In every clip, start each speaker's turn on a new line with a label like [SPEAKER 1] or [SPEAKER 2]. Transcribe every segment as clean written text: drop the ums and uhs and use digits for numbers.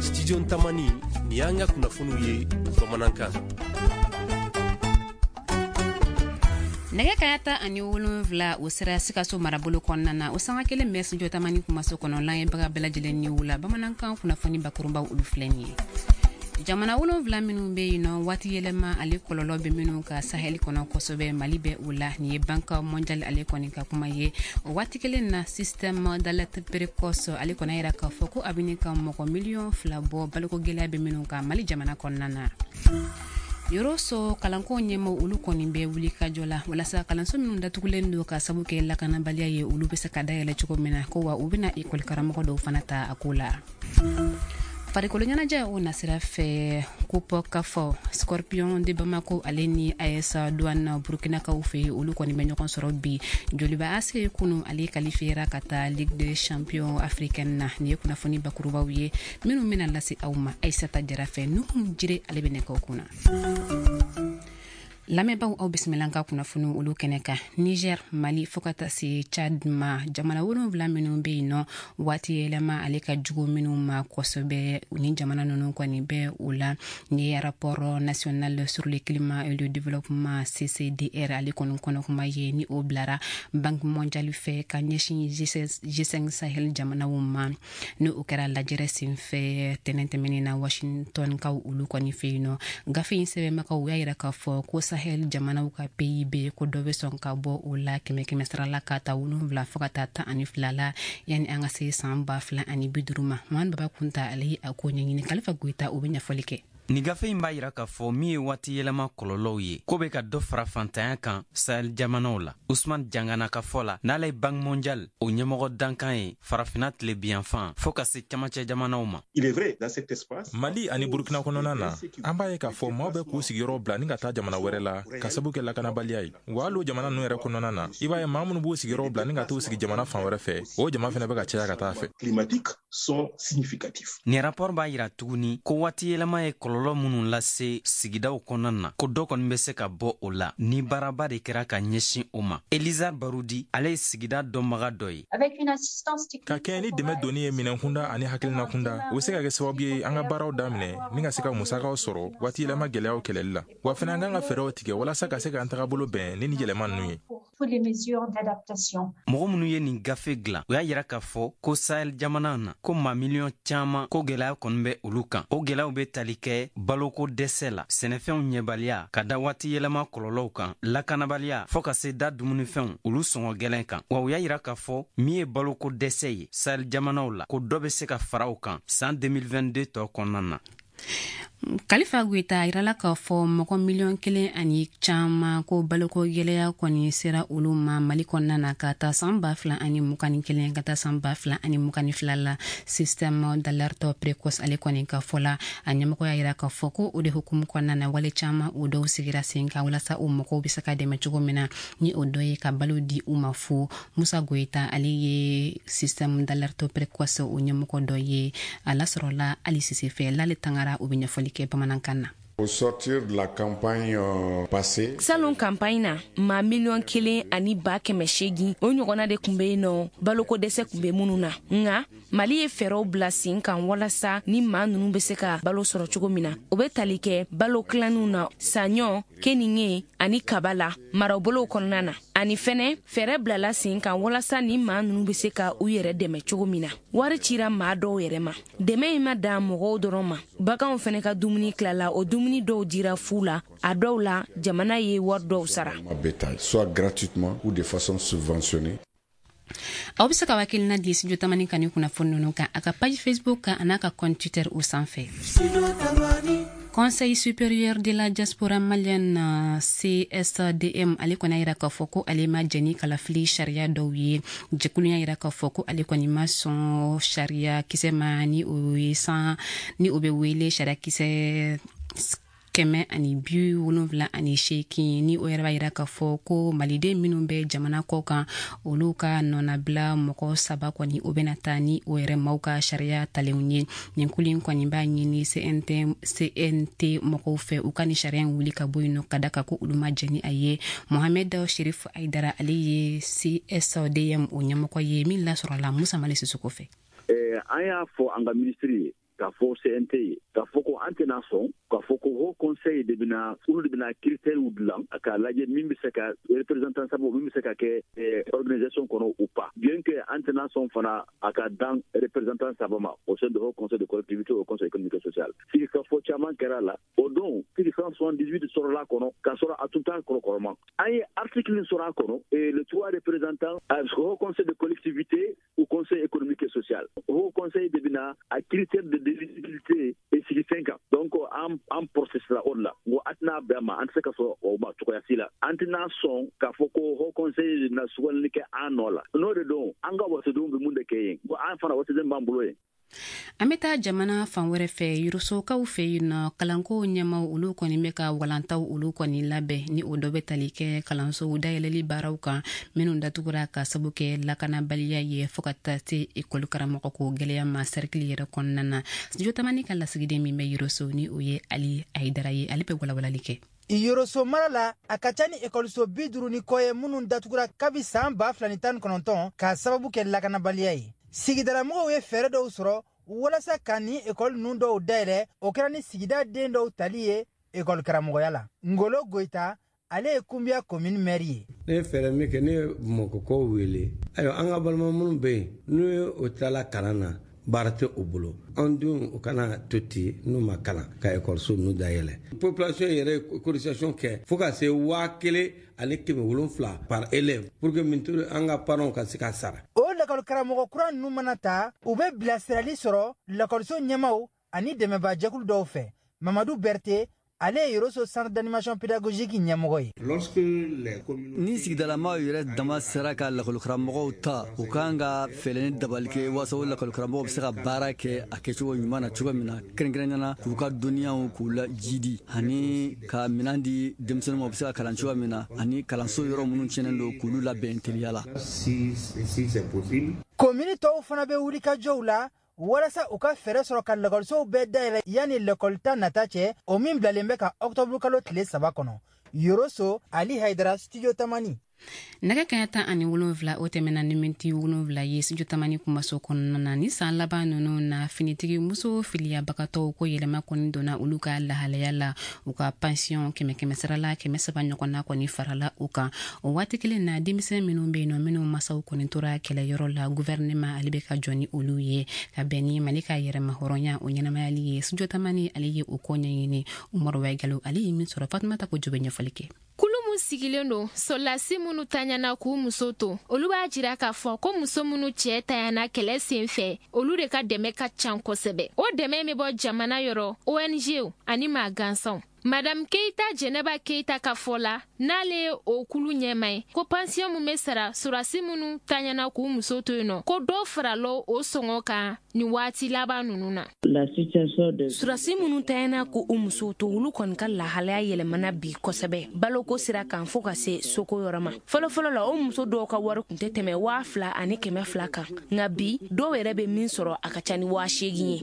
[SPEAKER 1] Studio Tamani, ni y'an ka kunnafoniw ye bamanankan.
[SPEAKER 2] Nɛgɛ kanɲɛ 17, o sera Sikaso marabolo kɔnɔna na. O sanga kelen bɛ Studio Tamani kumaso kɔnɔ. Lamɛnbaga bɛɛ lajɛlen ni wula. Bamanankan kunnafoni bakurunbaw, olu filɛ nin ye. Jamana 7 minnu bɛ yen nɔ, waati yɛlɛma ale kɔlɔlɔ bɛ minnu ka Sahel kɔnɔ kosɛbɛ, Mali bɛ o la. Nin ye Banque mondiale ale kɔni ka kuma ye. O waati kelen na, système d'alerte précoce ale kɔni yira k'a fɔ ko a bɛ ka mɔgɔ miliyɔn 2 bɔ baloko gɛlɛya bɛ minnu kan Mali jamana kɔnɔna na. Yɔrɔso kalanko ɲɛmaaw, olu kɔni bɛ wuli ka jɔ la walasa kalanso minnu datugulen don ka sabu kɛ lakanabaliya ye, olu bɛ se ka dayɛlɛ cogo min na, ko wa u bɛna ekɔli karamɔgɔ dɔw fana ta a ko la. Farikolo ɲɛnajɛ, o nasira fɛ, Coupe CAF, Scorpion de Bamako ale ni AS Douane Burkinakaw fɛ, olu kɔni bɛ ɲɔgɔn sɔrɔ bi. Joliba AC kunu, ale qualifiera ka taa Ligue des champions africaine na. Nin ye kunnafoni bakurubaw ye minnu bɛna lase aw ma Aïssata Jara fɛ. Nuhum Jire, ale bɛ nɛgɛw kunna. Lamɛnbaaw, aw bisimila ka kunnafoni olu kɛnɛ kan. Niger, Mali, fo ka taa se Chad ma, jamana 7 minnu bɛ yen nɔ, waati yɛlɛma ale ka jugu minnu ma kosɛbɛ, ni jamana ninnu kɔni bɛ o la. Ni ye rapport national sur le climat et le développement, CCDR, ale kɔni kɔnɔ kuma ye, ni o bilara Banque mondiale fɛ ka ɲɛsin G5 Sahel jamanaw ma, ni o kɛra lajɛrɛ senfɛ tɛnɛn tɛmɛnen na Washington kaw olu kɔni fɛ yen nɔ. Gafe in sɛbɛnbagaw y'a yira k'a fɔ ko Sahel jamanaw ka PIB, ko dɔ bɛ sɔn ka bɔ o la kɛmɛ kɛmɛ sara la, ka ta 7 fo ka taa 12 la, yanni an ka se san 2050 ma. Mamadu Baba Kunta, ale ye a ko ɲɛɲini. Kalifa Goyita, o bɛ ɲɛfɔli kɛ.
[SPEAKER 3] Nin gafe in b'a yira k'a fɔ min ye waati yɛlɛma kɔlɔlɔw ye, ko bɛ ka dɔ fara fantanya kan Sahel jamanaw la. Usman Jangana ka fɔ la, n'ale ye Banque mondiale o ɲɛmɔgɔ dankan ye Farafina tilebiyanfan fɔɔ ka se camancɛ jamanaw ma.
[SPEAKER 4] Mali ani Burukina kɔnɔna na, an b'a ye k'a fɔ maaw bɛ k'u sigiyɔrɔ bila ni ka taa jamana wɛrɛ la ka sabu kɛ lakanabaliya ye. Wa hali o jamana ninnu yɛrɛ kɔnɔna na, i b'a ye maa minnu b'u sigiyɔrɔ bila ni ka t'u sigi jamana fan wɛrɛ fɛ, o jama fɛnɛ bɛ ka caya ka taa fɛ.
[SPEAKER 3] Nin rapport b'a yira tuguni ko waati yɛlɛma ye kɔlɔlɔ minnu lase sigidaw kɔnɔna na, ko dɔ kɔni bɛ se ka bɔ o la ni baaraba de kɛra ka ɲɛsin o ma. Eliza Barudi, ale ye sigida dɔnbaga dɔ ye.
[SPEAKER 4] Ka kɛɲɛ ni dɛmɛ donni ye minɛnkunda ani hakilinakunda, o bɛ se ka kɛ sababu ye an ka baaraw daminɛ ni ka se ka musakaw sɔrɔ waati yɛlɛma gɛlɛyaw kɛlɛli la. Wa fɛnɛ, an kan ka fɛɛrɛw tigɛ walasa ka se k'an tagabolo bɛn ni yɛlɛma ninnu ye.
[SPEAKER 3] Mɔgɔ minnu ye nin gafe dilan, o y'a yira k'a fɔ ko Sahel jamana na, ko maa miliyɔn caaman, ko gwɛlɛya kɔni bɛ olu kan. O gwɛlɛyaw bɛ tali kɛ baloko dɛsɛ la, sɛnɛfɛnw ɲɛbaliya ka da waati yɛlɛma kɔlɔlɔw kan, lakanabaliya, fɔɔ ka se da dumunifɛnw olu sɔngɔ gwɛlɛn kan. Wa u y'a yira k'a fɔ min ye baloko dɛsɛ ye Sahel jamanaw la, ko dɔ bɛ se ka fara o kan saan 2022 tɔ kɔnɔna na.
[SPEAKER 2] Kalifa Goyita a yirala k'a fɔ mɔgɔ miliyɔn 1 ani caman, ko baloko gɛlɛya kɔni sera olu ma Mali kɔnɔna na, ka taa san 2021 ka taa san 2022 la. Système d'alerte précoce ale kɔni ka fɔ la, a ɲɛmɔgɔ y'a yira k'a fɔ ko o de hukumu kɔnɔna na, wale caman o dɔw sigira sen kan walasa o mɔgɔw bɛ se ka dɛmɛ cogo min na, ni o dɔ ye ka balo di u ma fu. Musa Goyita, ale ye système d'alerte précoce o ɲɛmɔgɔ dɔ ye. A lasɔrɔla Ali Sise fɛ. Lale Tangara, o bɛ ɲɛfɔli kɛ bamanankan na.
[SPEAKER 5] Au sortir de la campagne passée,
[SPEAKER 6] Salon campagne na, maa 1,8 miliyɔn, o ɲɔgɔnna de tun bɛ yen nɔ, baloko dɛsɛ tun bɛ minnu na. Nka Mali ye fɛɛrɛw bila sen kan walasa ni maa ninnu bɛ se ka balo sɔrɔ cogo min na. O bɛ tali kɛ balo tilanniw na, saɲɔ, keninge ani kaba la marabolow kɔnɔna na. Ani fɛnɛ, fɛɛrɛ bilala sen kan walasa ni maa ninnu bɛ se ka u yɛrɛ dɛmɛ cogo min na. Wari cira maa dɔw yɛrɛ ma. Dɛmɛ in ma dan mɔgɔw dɔrɔn ma, baganw fɛnɛ ka dumuni tilala. O dumuni dɔw dira fu la, a dɔw la jamana ye wari dɔw sara.
[SPEAKER 5] Bétail, soit gratuitement ou de façon subventionnée.
[SPEAKER 2] Aw bɛ se ka hakilina di Studio Tamani kan ni kunnafoni ninnu kan, a ka page Facebook kan, a n'a ka compte Twitter o sanfɛ. Conseil supérieur de la diaspora malienne, CSDM, ale kɔni y'a yira k'a fɔ ko ale ma jɛn ni kalafili sariya dɔw ye. Jɛkulu y'a yira k'a fɔ ko ale kɔni ma sɔn sariya kisɛ ma, ni o ye san ni o bɛ wele sariya kisɛ 178, ni o yɛrɛ b'a yira k'a fɔ ko maliden minnu bɛ jamana kɔ kan, olu ka nɔnabila mɔgɔ saba kɔni, o bɛna taa ni o yɛrɛ maaw ka sariya talenw ye. Nin kulu in kɔni b'a ɲini CNT mɔgɔw fɛ, u ka ni sariya in wuli ka bɔ yen nɔ, ka da kan ko olu ma jɛn ni a ye. Mohamed Sherif Aidara, ale ye CSDM o ɲɛmɔgɔ ye, min lasɔrɔla Musa Mali Sisoko fɛ.
[SPEAKER 7] An y'a fɔ an ka minisiri ye, k'a fɔ CNT ye, k'a fɔ ko an tɛna sɔn k'a fɔ ko Haut Conseil de bɛna, olu de bɛna critères dilan k'a lajɛ min bɛ se ka représentant saba, min bɛ se ka kɛ organisation kɔnɔ ou pas, bien que an tɛna sɔn fana a ka dan représentant saba ma au sein de Haut Conseil de collectivité, au Conseil économique et social. Sigikafɔ caman kɛra la o don, 178 sɔrɔla kɔnɔ, k'a sɔrɔ a tun t'a kɔrɔ kɔrɔma. An ye article sɔrɔ a kɔnɔ et le trois représentants au Haut Conseil de collectivité au Conseil économique et social, Haut Conseil de bɛna a critère de d'éligibilité et sigi sen kan. Donc an processera o de la. N ko a tɛna bɛn a ma, an tɛ se ka sɔn o ma cogoya si la. An tɛna sɔn k'a fɔ ko Haut Conseil na sugandili kɛ an nɔ la. N'o de don, an ka wasadenw bɛ mun de kɛ yen? Ko an fana wasaden b'an bolo yen.
[SPEAKER 2] An bɛ taa jamana fan wɛrɛ fɛ, Yorosokaw fɛ yen nɔ. Kalanko ɲɛmaw, olu kɔni bɛ ka walantaw olu kɔni labɛn, ni o dɔ bɛ tali kɛ kalansow dayɛlɛli baaraw kan minnu datugura ka sabu kɛ lakanabaliya ye, fɔɔ ka taa se ekɔli karamɔgɔ ko gwɛlɛya ma sɛrikili yɛrɛ kɔnɔna na. Studio Tamani ka lasigiden min bɛ Yoroso, ni o ye Ali Ayidara ye, ale bɛ walawalali kɛ.
[SPEAKER 8] Yoroso mara la, a ka ca ni ekɔliso 50 ni kɔ ye minnu datugura kabi san 2019 k'a sababu kɛ lakanabaliya ye. Sigidalamɔgɔw ye fɛɛrɛ dɔw sɔrɔ walasa ka ni ekɔli ninnu dɔw dayɛlɛ. O kɛra ni sigida den dɔw tali ye ekɔli karamɔgɔya la. Ngolo Goyita, ale ye Kunbiya commune maire ye.
[SPEAKER 9] Ne ye fɛɛrɛ min kɛ, ne ye Bamakɔkaw wele. Ayiwa, an ka balima minnu bɛ yen, n'u ye o tilala kalan na, baara tɛ u bolo, an denw u kana to ten n'u ma kalan ka ekɔliso ninnu dayɛlɛ. Population yɛrɛ ye cotisation kɛ fo ka se 1700 par élève pour que min an ka parents ka se ka sara.
[SPEAKER 8] O lakɔli karamɔgɔ kura ninnu mana ta, u bɛ bilasirali sɔrɔ lakɔliso ɲɛmaw ani dɛmɛbaa dɔw fɛ. Mamadu Berete, ale ye Yoroso centre d'animation pédagogique ɲɛmɔgɔ ye.
[SPEAKER 10] Ni sigidalamaw yɛrɛ dama sera ka lakɔlikaramɔgɔw ta, u kan ka fɛɛrɛ ni dabali kɛ walasa o lakɔlikaramɔgɔw bɛ se ka baara kɛ a kɛcogo ɲuman na cogo min na, kɛrɛnkɛrɛnnenya na k'u ka dɔnniyaw k'u la jidi, ani ka minɛn di denmisɛnninw ma, u bɛ se ka kalan cogo min na, ani kalanso yɔrɔ minnu tiɲɛnen don, k'olu labɛn teliya la.
[SPEAKER 8] Komini tɔw fana bɛ wulikajɔw la walasa u ka fɛɛrɛ sɔrɔ ka lakɔlisow bɛɛ dayɛlɛ yanni lakɔlita nata cɛ, o min bilalen bɛ ka ɔkutɔburu kalo tile 3 kɔnɔ. Yoroso, Ali Haidara, Studio Tamani.
[SPEAKER 2] Nɛgɛ kaɲa 17, o tɛmɛna ni miniti 7 ye Studio Tamani kumaso kɔnɔna na. Ni san laban ninnu na, finitigi muso filiyabagatɔw ko yɛlɛma kɔni donna olu ka lahalaya la. U ka pension kɛmɛ kɛmɛ sarala 300 ɲɔgɔnna kɔni farala u kan. O waati kelen na, denmisɛn minnu bɛ yen nɔ, minnu masaw kɔni tora kɛlɛyɔrɔ la, gouvernement ale bɛ ka jɔ ni olu ye ka bɛn ni Mali ka yɛrɛma hɔrɔnya o ɲɛnamayali ye. Studio Tamani, ale ye o ko ɲɛɲini. Umaru Wayigalo, ale ye min sɔrɔ, Fatumata Kojo bɛ ɲɛfɔli kɛ.
[SPEAKER 11] Kulu mun sigilen don sɔrɔlasi minnu taɲana k'u muso to, olu b'a jira k'a fɔ ko muso minnu cɛɛ tayana kɛlɛ sen fɛ, olu de ka dɛmɛ ka can kosɛbɛ. O dɛmɛ bɛ bɔ jamana yɔrɔ, ONG ani maa gansanw. Madame Keita Jɛnɛba Keita ka fɔ la, n'ale ye o kulu ɲɛma ye, ko pansiyɔn mun bɛ sara sɔrɔsi minnu taɲana k'u muso to yen nɔ, ko dɔ farala o sɔngɔ kan nin waati laban ninnu na.
[SPEAKER 6] Sɔrɔsi minnu tayana k'u musow to, olu kɔni ka lahalaya yɛlɛmana bi kosɛbɛ baloko sira kan, fo ka se soko yɔrɔ ma. Fɔlɔfɔlɔ la, o muso dɔw ka wari tun tɛ tɛmɛ 2200 kan, nka bi dɔw yɛrɛ bɛ min sɔrɔ, a ka ca ni 8000 ye.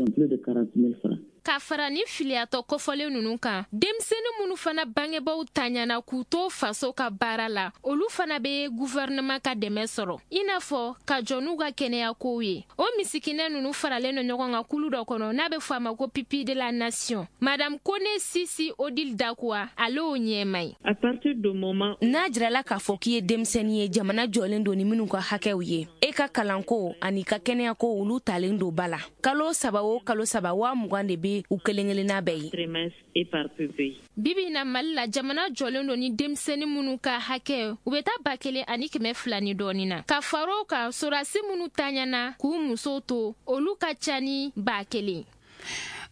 [SPEAKER 11] Ka fara ni filiyatɔ kofɔlen ninnu kan, denmisɛnnin minnu fana bangebaw taɲana k'u to faso ka baara la, olu fana bɛ guvɛrɛnɛman ka dɛmɛ sɔrɔ, i n'a fɔ ka jɔ n'u ka kɛnɛyakow ye. O misikinɛ ninnu faralen don ɲɔgɔn kan kulu dɔ kɔnɔ n'a bɛ fɔ a ma ko Pipi de la Nation. Madame Kone Sisi Odile Dakuwa, ale y'o ɲɛma ye.
[SPEAKER 6] N'a jirala k'a fɔ k'i ye denmisɛnnin ye jamana jɔlen don ni minnu ka hakɛw ye, e ka kalanko ani ka kɛnɛyako, olu talen don ba la. Kalo 3 o kalo 3, 20,000 de bɛ u kelen kelenna bɛɛ
[SPEAKER 11] ye. Bibi na Mali la, jamana jɔlen don ni denmisɛnnin minnu ka hakɛ, u bɛ taa 1200 ni dɔɔnin na. Ka fara o kan, sɔrɔdasi minnu taɲana k'u musow to, olu ka ca ni 1000.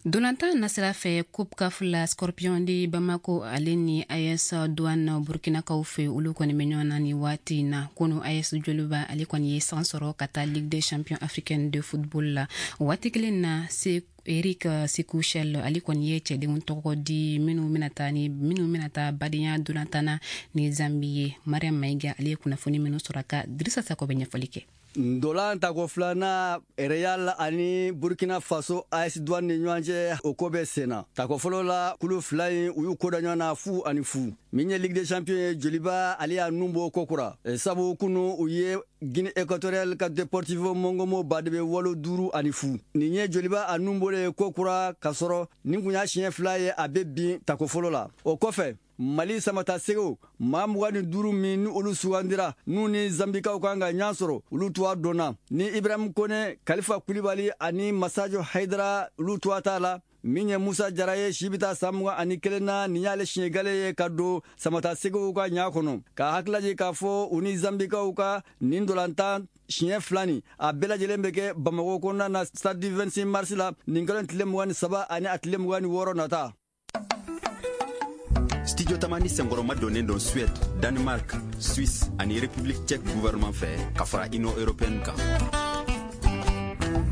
[SPEAKER 2] Dolantan nasira fɛ, Coupe CAF la, Scorpion de Bamako, ale ni AS Douane Burkinakaw fɛ, olu kɔni bɛ ɲɔgɔn na ni waati na. Kunu, AS Joliba, ale kɔni ye san sɔrɔ ka taa Ligue des champions africaine de football la. O waati kelen na, se Eric Sekou Chelle, ale kɔni ye cɛdenw tɔgɔ di minnu bɛna taa badenya dolantan na ni Zambi ye. Mariam Mayiga ale ye kunnafoni minnu sɔrɔ ka Dirisa Sako bɛ ɲɛfɔli kɛ.
[SPEAKER 10] Ndolan tako filanan Real ani Burkina Faso AS Douane ni ɲɔgɔn cɛ, o ko bɛ sen na. Tako fɔlɔ la, kulu fila in u y'u ko da ɲɔgɔn na 0-0. Min ye Ligue des Champions ye, Joliba ale y'a nun bɔ kokura, sabu kunu u ye Guinée Équatoriale ka Deportivo Mongomo baden walo 5-0. Nin ye Joliba a nun bɔlen kokura, k'a sɔrɔ nin kun y'a siɲɛ fila ye a bɛ bin tako fɔlɔ la. O kɔfɛ, Mali samata segew maa 25 min ni olu sugandira n'u ni Zambikaw kan ka ɲɔgɔn sɔrɔ, olu tuwa dɔnna ni Ibrahim Kone, Kalifa Kulibali ani Masajo Haidara, olu tuwa t'a la. Min ye Musa Jara ye, si bɛ taa san 21 na, nin y'ale siɲɛ gale ye ka don samata segew ka ɲa kɔnɔ. Ka hakililajigin k'a fɔ u ni Zambikaw ka nin dolantan siɲɛ fila nin, a bɛɛ lajɛlen bɛ kɛ Bamakɔ kɔnɔna na, stade du 26 mars la, nin kalo tile 23 ani a tile 26 nata.
[SPEAKER 12] Studio Tamani senkɔrɔma donnen don Suède, Danemark, Suisse ani République tchèque gouvernement fɛ ka fara Union européenne kan.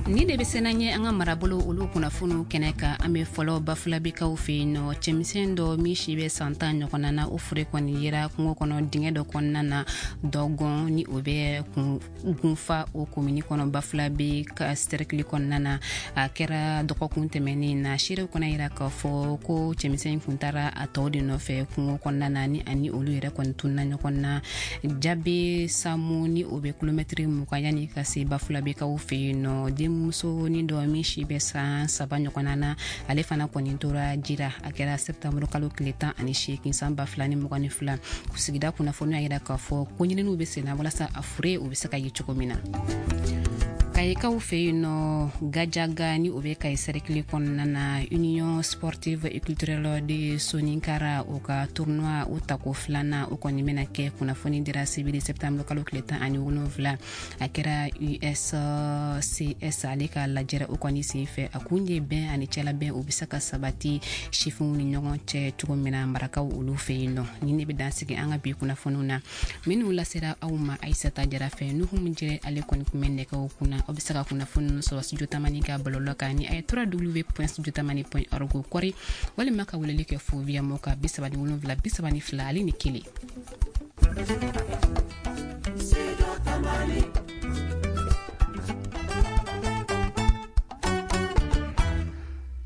[SPEAKER 2] Ni de bɛ sena ɲɛ an ka marabolo olu kunnafoniw kɛnɛ kan. An bɛ fɔlɔ Bafulabekaw fɛ yen nɔ. Cɛmisɛn dɔ min si bɛ san 10 ɲɔgɔnna na, o fure kɔni yera kungo kɔnɔ dingɛ dɔ kɔnɔna na Dɔgɔn, ni o bɛ Gunfa o komini kɔnɔ, Bafulabe ka cercle kɔnɔna na. A kɛra dɔgɔkun tɛmɛnen na. Seerew kɔnɔ yira k'a fɔ ko cɛmisɛn in kun taara a tɔw de nɔfɛ kungo kɔnɔna na, ni ani olu yɛrɛ kɔni tununa ɲɔgɔn na. Jabe Samu, ni o bɛ kilomɛtiri 20 yanni ka se Bafulabekaw fɛ yen nɔ. Denmuso ni dɔ min si bɛ san 3 ɲɔgɔnna na, ale fana kɔni tora jira. A kɛra septembre kalo tile 18 san 2022. Sigida kunnafoniya y'a yira k'a fɔ ko ɲininiw bɛ sen na walasa a fure o bɛ se ka ye cogo min na. Kayikaw fɛ yen nɔ, Gajaga, ni o bɛ Kayi cercle kɔnɔna na, Union sportive et culturelle de Soninkara o ka tournoi o tako filanan o kɔni bɛna kɛ. Kunnafoni dira sibiri septembre kalo tile 17. A kɛra USCS ale ka lajɛrɛ o kɔni sen fɛ. A kun ye bɛn ani cɛlabɛn o bɛ se ka sabati sifinw ni ɲɔgɔn cɛ cogo min na marakaw olu fɛ yen nɔ. Ni ne bɛ dan sigi an ka bi kunnafoniw na minnu lasera aw ma Ayisata Jara fɛ. Nuhu Jɛrɛ ale kɔni kun bɛ nɛgɛw kunna. Aw bɛ se ka kunnafoni ninnu sɔrɔ Studio Tamani ka bɔlɔlɔ kan ni a ye www.studiotamani.org kɔri, walima ka weleli kɛ fo via mɔ ka 37 32 ale ni 1.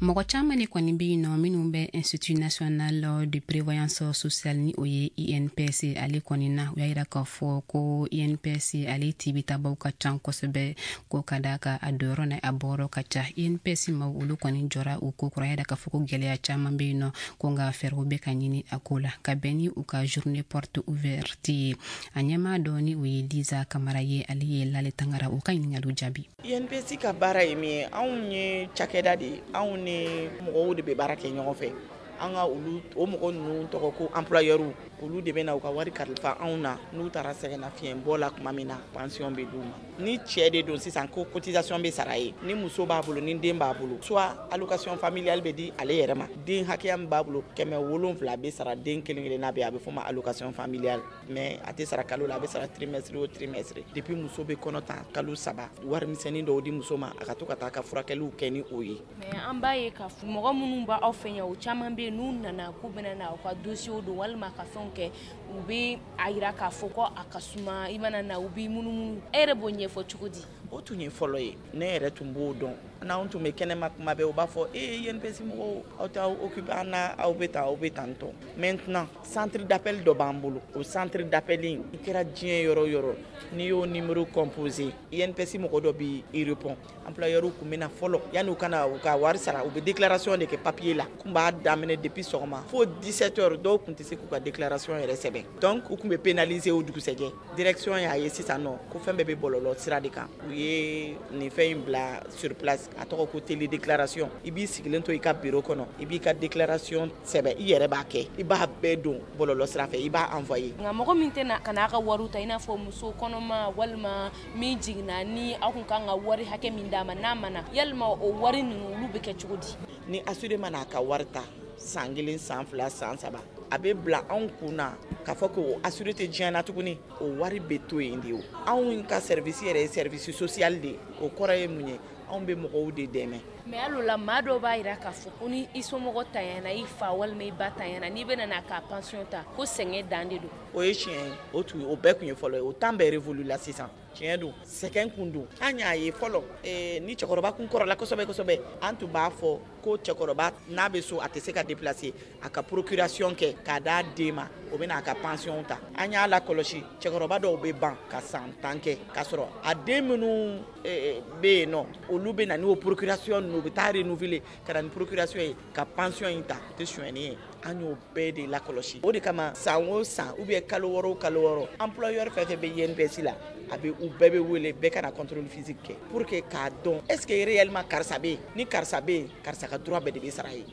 [SPEAKER 2] Mɔgɔ caman de kɔni bɛ yen nɔ minnu bɛ Institut national de prévoyance sociale, ni o ye INPS ale kɔni na. U y'a yira k'a fɔ ko INPS ale tibitabaw ka ca kosɛbɛ, ko ka d'a kan a donyɔrɔ n'a a bɔyɔrɔ ka ca. INPS maaw olu kɔni jɔra u ko kɔrɔ, a yira k'a fɔ ko gɛlɛya caman bɛ yen nɔ, ko nka fɛɛrɛw bɛ ka ɲini a ko la ka bɛn ni u ka journée porte ouverte ye. A ɲɛmaa dɔ, ni o ye Liza Kamara ye, ale ye Lale Tangara u ka ɲininkaliw jaabi.
[SPEAKER 13] INPS ka baara ye min ye, anw ye cakɛda de ye, anw ni mɔgɔw de bɛ baara kɛ ɲɔgɔn fɛ. An ka olu o mɔgɔ ninnu tɔgɔ ko employeur, olu de bɛ na u ka wari kalifa anw na. N'u taara sɛgɛnnafiɲɛbɔ la tuma min na, pension bɛ d'u ma. Ni cɛ de don sisan, ko cotisation bɛ sara ye. Ni muso b'a bolo, ni den b'a bolo, soit allocation familiale bɛ di ale yɛrɛ ma. Den hakɛya min b'a bolo, 700 bɛ sara den kelen kelenna bɛɛ, a bɛ f'o ma allocation familiale. Mais a tɛ sara kalo la, a bɛ sara trimestre o trimestre. Depuis muso bɛ kɔnɔ ta kalo 3, warimisɛnnin dɔw di muso ma, a ka to ka taa ka furakɛliw kɛ ni o ye.
[SPEAKER 6] Mais an b'a ye k'a fɔ mɔgɔ minnu b'aw fɛ yan, o caman bɛ yen, n'u nana k'u bɛna na u ka dossier don walima ka fɛnw kɛ, u bɛ a yira k'a fɔ ko a ka suma, i mana na u b'i munumunu. E yɛrɛ b'o ɲɛfɔ cogo di?
[SPEAKER 13] O tun ye fɔlɔ ye, ne yɛrɛ tun b'o dɔn. N'anw tun bɛ kɛnɛma kuma bɛɛ, u b'a fɔ ee INPS mɔgɔw, aw t'aw occuper an na, aw bɛ tan, aw bɛ tan tɔ. Maintenant centre d'appel dɔ b'an bolo. O centre d'appel in, i kɛra diɲɛ yɔrɔ o yɔrɔ, n'i y'o numéro composé, INPS mɔgɔ dɔ b'i répond. Employeur tun bɛ na fɔlɔ yanni u ka na u ka wari sara, u bɛ déclaration de kɛ papier la. U tun b'a daminɛ depuis sɔgɔma fo 17 heures, dɔw tun tɛ se k'u ka déclaration yɛrɛ sɛbɛn. Donc u tun bɛ pénaliser o dugusɛjɛ. Direction y'a ye sisan nɔ ko fɛn bɛɛ bɛ bɔlɔlɔ sira de kan. U ye nin fɛn in bila sur place, a tɔgɔ ko télé déclaration. I b'i sigilen to i ka bureau kɔnɔ, i b'i ka déclaration sɛbɛn, i yɛrɛ b'a kɛ, i b'a bɛɛ don bɔlɔlɔ sira fɛ, i b'a envoyer.
[SPEAKER 6] Nka mɔgɔ min tɛna ka n'a ka wariw ta, i n'a fɔ muso kɔnɔma walima min jiginna, ni aw kun kan ka wari hakɛ min d'a ma n'a ma na, yalima o wari ninnu olu bɛ kɛ cogo di?
[SPEAKER 13] Ni assuré mana a ka wari ta san 1, san 2, san 3, a bɛ bila anw kun na k'a fɔ ko assuré tɛ diɲɛ na tuguni, o wari bɛ to yen de. O anw ka service yɛrɛ ye service social de ye. O kɔrɔ ye mun ye? Anw bɛ mɔgɔw de dɛmɛ.
[SPEAKER 6] Mais hali o la, maa dɔw b'a jira k'a fɔ ko ni i somɔgɔ tanyana, i fa walima i ba tanyana, n'i bɛna n'a ka pension ta, ko sɛgɛn dan de don.
[SPEAKER 13] O ye tiɲɛ ye. O tun, o bɛɛ tun ye fɔlɔ ye. O temps bɛɛ révolu la sisan. Tiɲɛ don, sɛgɛn kun don. An y'a ye fɔlɔ, ni cɛkɔrɔba kun kɔrɔla kosɛbɛ kosɛbɛ, an tun b'a fɔ ko cɛkɔrɔba n'a bɛ so, a tɛ se ka déplacer, a ka procuration kɛ k'a d'a den ma, o bɛ n'a ka pension ta. An y'a lakɔlɔsi, cɛkɔrɔba dɔw bɛ ban ka san 10 kɛ k'a sɔrɔ a den minnu bɛ yen nɔ, olu bɛ na n'o procuration ninnu, u bɛ taa renouveler ka na ni procuration ye ka pension in ta. O tɛ sonyɛni ye. An y'o bɛɛ de lakɔlɔsi. O de kama, san o san ou bien kalo 6 o kalo 6, employeur fɛn fɛn bɛ INPS la, a bɛ u bɛɛ bɛ wele, bɛɛ ka na contrôle physique kɛ pour que k'a dɔn est ce que réellement karisa bɛ yen. Ni karisa bɛ yen, karisa ka droit bɛɛ de bɛ sara ye.